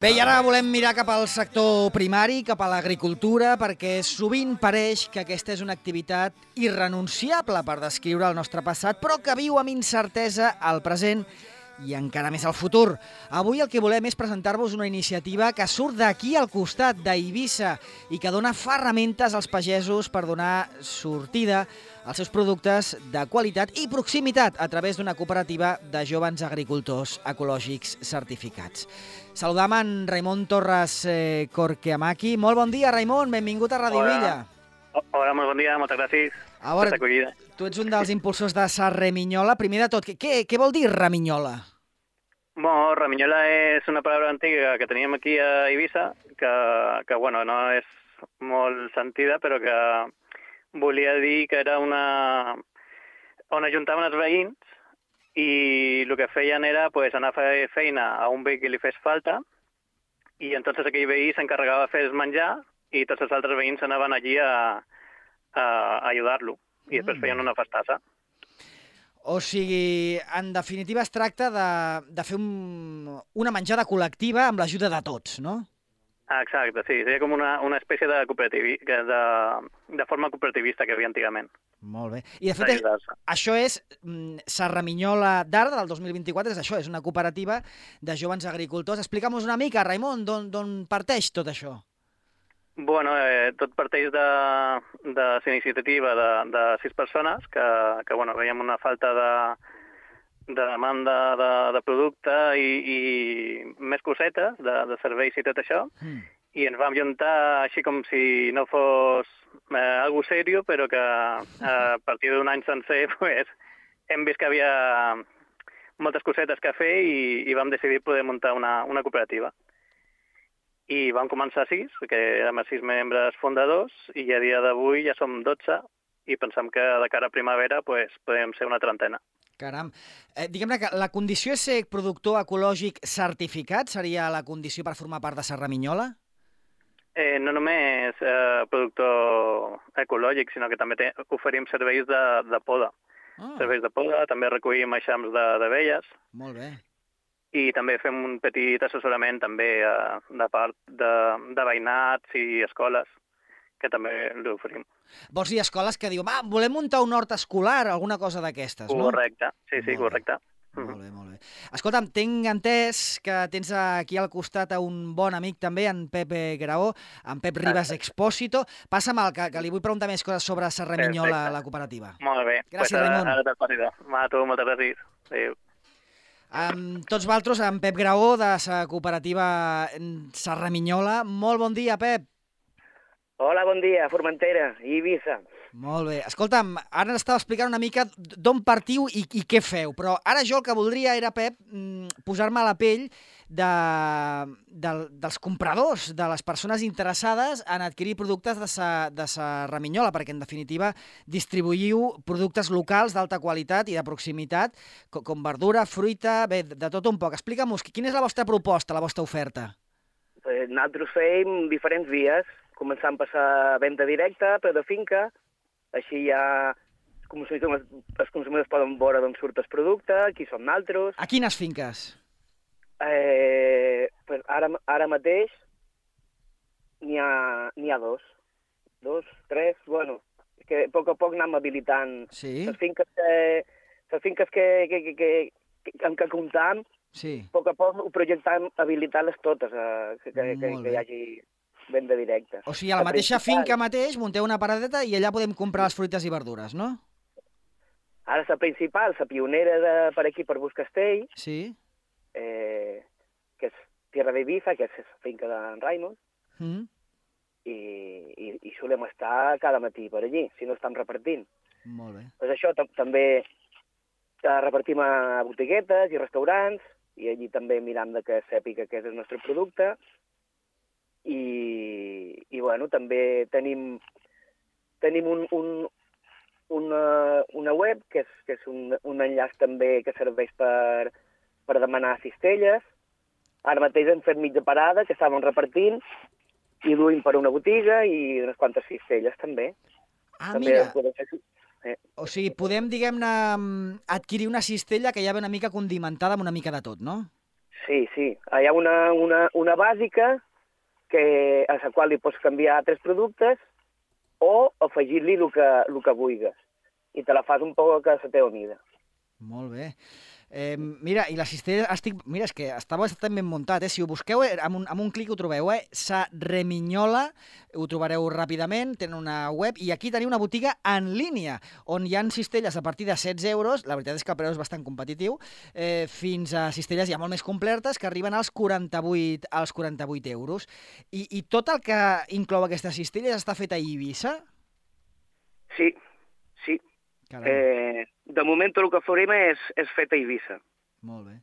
Bé, i ara volem mirar cap al sector primari, cap a l'agricultura, perquè sovint pareix que aquesta és una activitat irrenunciable per descriure el nostre passat, però que viu amb incertesa al present i encara més al futur. Avui el que volem és presentar-vos una iniciativa que surt d'aquí al costat, d'Eivissa, i que dona ferramentes als pagesos per donar sortida als seus productes de qualitat i proximitat a través d'una cooperativa de joves agricultors ecològics certificats. Saludam en Raimon Torres Corqueamaki. Molt bon dia, Raimon, benvingut a Radio Villa. Hola, molt bon dia, moltes gràcies A veure, per l'acollida. tu ets un dels impulsors de Sa Reminyola. Primer de tot, què vol dir Reminyola? Bueno, Reminyola és una paraula antiga que teníem aquí a Eivissa, que bueno, no és molt sentida, però que volia dir que era on ajuntaven els veïns i el que feien era pues, anar a fer feina a un veí que li fes falta i entonces aquell veí s'encarregava de fer el menjar i tots els altres veïns anaven allí a ajudar-lo i després feien una festassa. O sigui, en definitiva es tracta de fer una menjada col·lectiva amb l'ajuda de tots, no? Exacte, sí, seria com una espècie de de forma cooperativista que hi havia antigament. Molt bé. I de fet, això és Sa Reminyola d'Arda del 2024, és això, és una cooperativa de joves agricultors. Explica'm-nos una mica, Raimon, d'on parteix tot això? Bueno, tot parteix de la iniciativa de 6 persones que bueno, veiem una falta de demanda de producte i més cosetes, de serveis i tot això, i ens vam juntar així com si no fos algo serio, però que a partir d'un any sencer pues, hem vist que hi havia moltes cosetes que fer i vam decidir poder muntar una cooperativa. I vam començar 6, que érem 6 membres fundadors, i a dia d'avui ja som 12, i pensem que de cara a primavera pues, podem ser una trentena. Caram. Diguem-ne que la condició és ser productor ecològic certificat? Seria la condició per formar part de Sa Reminyola? No només productor ecològic, sinó que també oferim serveis de poda. Serveis de poda, també recollim eixams d'abelles. Molt bé. I també fem un petit assessorament també de part de veïnats i escoles, que també l'oferim. Vols dir escoles que diuen, volem muntar un hort escolar, alguna cosa d'aquestes, no? Correcte, sí, correcte. Molt bé, molt bé. Escolta'm, tinc entès que tens aquí al costat un bon amic també, en Pep Graó, en Pep Ribas Expósito. Passa'm que li vull preguntar més coses sobre Sa Reminyola, la cooperativa. Molt bé. Gràcies, Raimon. Ara te'l passi. Va, tu, moltes gràcies. Adéu. Amb tots vosaltres, en Pep Graó, de la cooperativa Sa Reminyola. Molt bon dia, Pep. Hola, bon dia, Formentera i Eivissa. Molt bé. Escolta'm, ara estava explicant una mica d'on partiu i què feu, però ara jo el que voldria era, Pep, posar-me a la pell dels compradors, de les persones interessades en adquirir productes de Sa Reminyola, perquè en definitiva distribuïu productes locals d'alta qualitat i de proximitat, com verdura, fruita, bé, de tot un poc. Explica'm-nos, quina és la vostra proposta, la vostra oferta? Nosaltres fem diferents vies, començant per la venda directa, però de finca, així ja els consumidors poden veure d'on surt el producte, qui som nosaltres. A quines finques? Ara mateix n'hi ha dos, 3, bueno, és que a poc anem habilitant. Sí? Les finques que comptam, sí. A poc ho projectam habilitar-les totes, que hi hagi venda directa. O sigui, a la mateixa finca mateix munteu una paradeta i allà podem comprar les fruites i verdures, no? Ara la principal, la pionera per aquí, per Buscastell, sí. Que és Tierra de Ibiza, que és la finca d'en Raimon, i solem estar cada matí per allí, si no estem repartint. Molt bé. Pues això també repartim a botiguetes i restaurants, i allí també miram que sàpiga que és el nostre producte, i bueno, també tenim una web, que és un enllaç també que serveix per demanar cistelles. Ara mateix hem fet mitja parada, que estàvem repartint, i duim per una botiga i unes quantes cistelles també. Mira, o sigui, podem, diguem-ne, adquirir una cistella que ja ve una mica condimentada amb una mica de tot, no? Sí. Hi ha una bàsica a la qual li pots canviar 3 productes o afegir-li el que vulguis. I te la fas un poc a la teva mida. Molt bé. Mira, i la cistella, mira, és que està bastant ben muntat, Si ho busqueu, amb un clic ho trobeu, Sa Reminyola, ho trobareu ràpidament, tenen una web, i aquí teniu una botiga en línia, on hi ha cistelles a partir de 16 euros, la veritat és que el preu és bastant competitiu, fins a cistelles ja molt més completes, que arriben als 48 euros. I tot el que inclou aquestes cistelles està fet a Eivissa? Sí. De moment tot el que farem és fet a Eivissa. Molt bé.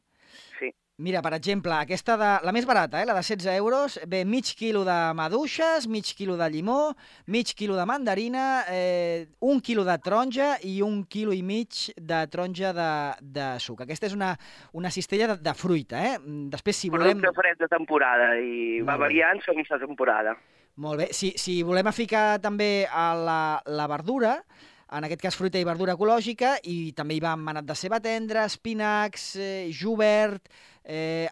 Sí. Mira, per exemple, aquesta la més barata, la de 16 euros, ve mig quilo de maduixes, mig quilo de llimó, mig quilo de mandarina, 1 quilo de taronja i 1,5 quilos de taronja de suc. Aquesta és una cistella de fruita, Després, si volem... Producte fred de temporada i va variant segons la temporada. Molt bé. Si volem ficar també a la verdura, en aquest cas fruita i verdura ecològica, i també hi va manat de ceba tendra, espinacs, jubert,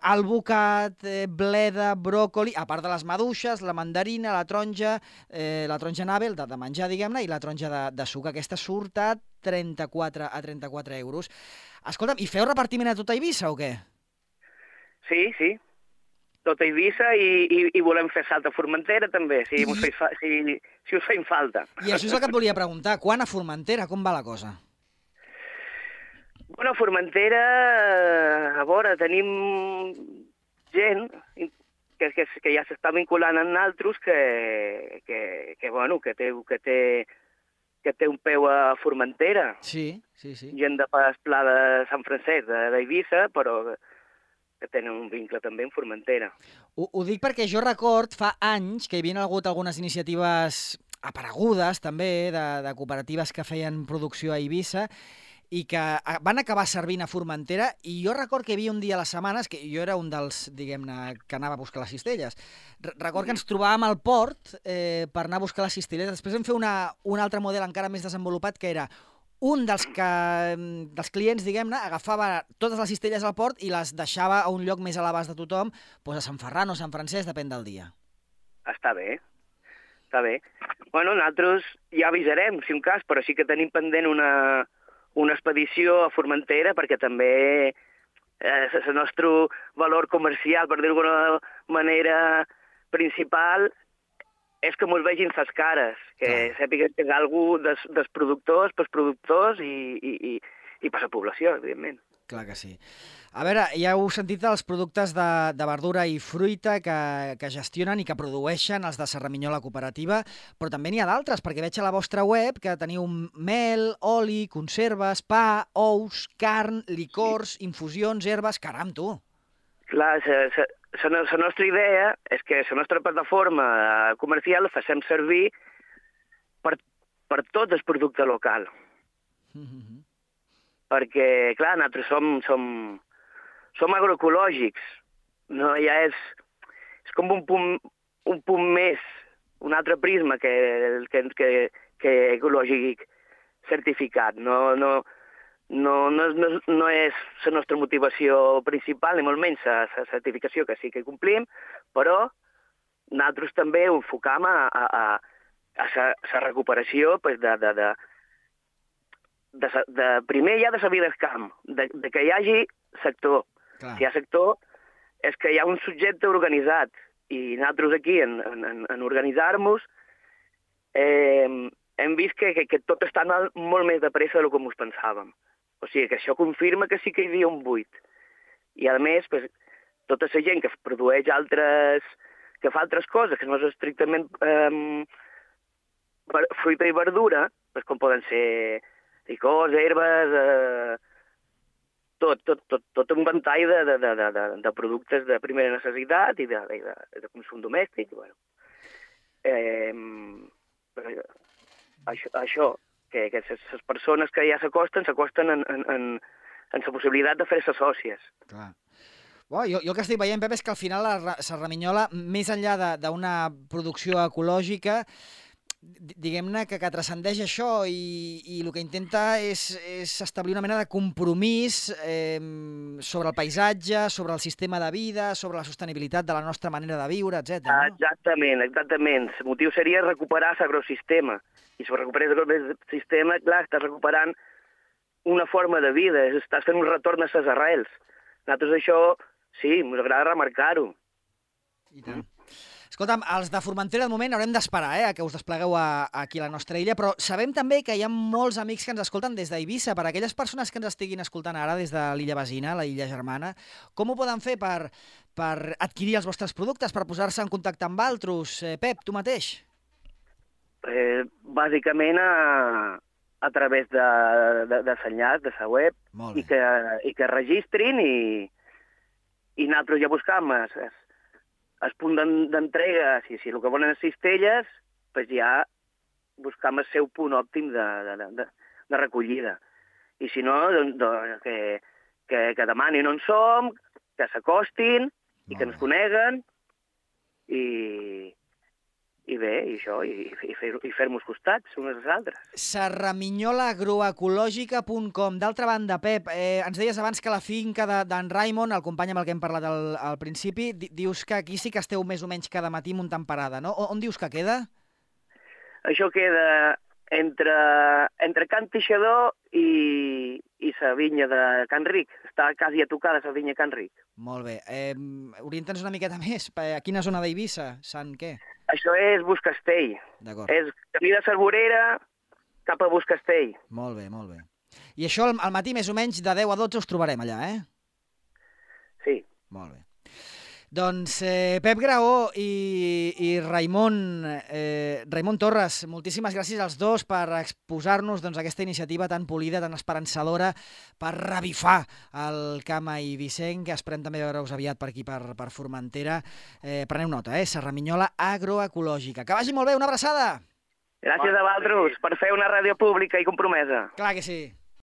alvocat, bleda, bròcoli, a part de les maduixes, la mandarina, la taronja nabel, de menjar, diguem-ne, i la taronja de suc. Aquesta surt a 34 euros. Escolta'm, i feu repartiment a tota Eivissa o què? Sí. Tot a Eivissa i volem fer salt a Formentera també, si us feim falta. I això és el que et volia preguntar. Quan a Formentera? Com va la cosa? Bueno, a Formentera, a veure, tenim gent que ja s'està vinculant amb nosaltres que té un peu a Formentera. Sí. Gent de pas Pla de Sant Francesc, d'Eivissa, però que tenen un vincle també en Formentera. Ho dic perquè jo record fa anys que hi havia hagut algunes iniciatives aparegudes també de cooperatives que feien producció a Eivissa i que van acabar servint a Formentera, i jo record que hi havia un dia a les setmanes, que jo era un dels, diguem-ne, que anava a buscar les cistelles. Record que ens trobàvem al port per anar a buscar les cistelles. Després vam fer un altre model encara més desenvolupat, que era un dels clients, diguem-ne, agafava totes les cistelles al port i les deixava a un lloc més a l'abast de tothom, doncs a Sant Ferran o Sant Francesc, depèn del dia. Està bé. Bueno, nosaltres ja avisarem, si un cas, però sí que tenim pendent una expedició a Formentera, perquè també el nostre valor comercial, per dir-ho d'alguna manera, principal, és que mos vegin les cares, que sàpiguen que és algú dels productors, pels productors i per la població, evidentment. Clar que sí. A veure, ja heu sentit els productes de verdura i fruita que gestionen i que produeixen els de Serraminyola Cooperativa, però també n'hi ha d'altres, perquè veig a la vostra web que teniu mel, oli, conserves, pa, ous, carn, licors, infusions, herbes... Caram, tu! Clar, la nostra idea és que la nostra plataforma comercial la facem servir per tot el producte local. Perquè, clar, nosaltres som agroecològics. No, ja és com un punt més, un altre prisma que ecològic certificat. No és la nostra motivació principal, ni molt menys la certificació, que sí que complim, però nosaltres també ho enfocam a la recuperació primer ja de la vida al camp, de que hi hagi sector. Clar. Si hi ha sector, és que hi ha un subjecte organitzat, i nosaltres aquí, en organitzar-nos, hem vist que tot està anant molt més de pressa del que ens pensàvem. O sigui, que això confirma que sí que hi havia un buit. I, a més, tota la gent que produeix que fa altres coses, que no és estrictament fruita i verdura, com poden ser licors, herbes, tot un ventall de productes de primera necessitat i de consum domèstic. Bueno. Això, que les persones que ja s'acosten en la possibilitat de fer-se sòcies. Clar. Jo el que estic veient, Pep, és que al final la Serraminyola, més enllà d'una producció ecològica, diguem-ne, que transcendeix això i el que intenta és establir una mena de compromís sobre el paisatge, sobre el sistema de vida, sobre la sostenibilitat de la nostra manera de viure, etc. No? Exactament. El motiu seria recuperar l'agrosistema. I si recuperes l'agrosistema, clar, estàs recuperant una forma de vida, estàs fent un retorn a les arrels. Nosaltres això, sí, ens agrada remarcar-ho. I tant. Escolta'm, els de Formentera, de moment, haurem d'esperar a que us desplegueu aquí a la nostra illa, però sabem també que hi ha molts amics que ens escolten des d'Eivissa. Per aquelles persones que ens estiguin escoltant ara des de l'illa Besina, la illa germana, com ho poden fer per adquirir els vostres productes, per posar-se en contacte amb altres? Pep, tu mateix? Bàsicament a través de l'enllaç, de la web, i que registrin i nosaltres ja buscam el punt d'entrega, si el que volen és cistelles, doncs ja buscam el seu punt òptim de recollida. I si no, doncs que demanin on som, que s'acostin i que ens coneguen i bé, i això, i fer-nos costats unes als altres. Serraminyolaagroecològica.com. D'altra banda, Pep, ens deies abans que la finca d'en Raimon, el company amb el que hem parlat al principi, dius que aquí sí que esteu més o menys cada matí muntant parada, no? On dius que queda? Això queda entre Can Teixidor i la vinya de Can Ric. Està quasi a tocar de la vinya Can Ric. Molt bé. Orienta'ns una miqueta més. A quina zona d'Eivissa? Sant què? Això és Buscastell. D'acord. És camí de Cervorera cap a Buscastell. Molt bé, molt bé. I això al matí més o menys de 10 a 12 us trobarem allà, Sí. Molt bé. Doncs Pep Graó i Raimon Torres, moltíssimes gràcies als dos per exposar-nos aquesta iniciativa tan polida, tan esperançadora, per revifar el camp eivissenc, que esperem també veure-us aviat per aquí, per Formentera. Preneu nota, Serraminyola Agroecològica. Que vagi molt bé, una abraçada! Gràcies a vosaltres per fer una ràdio pública i compromesa. Clar que sí.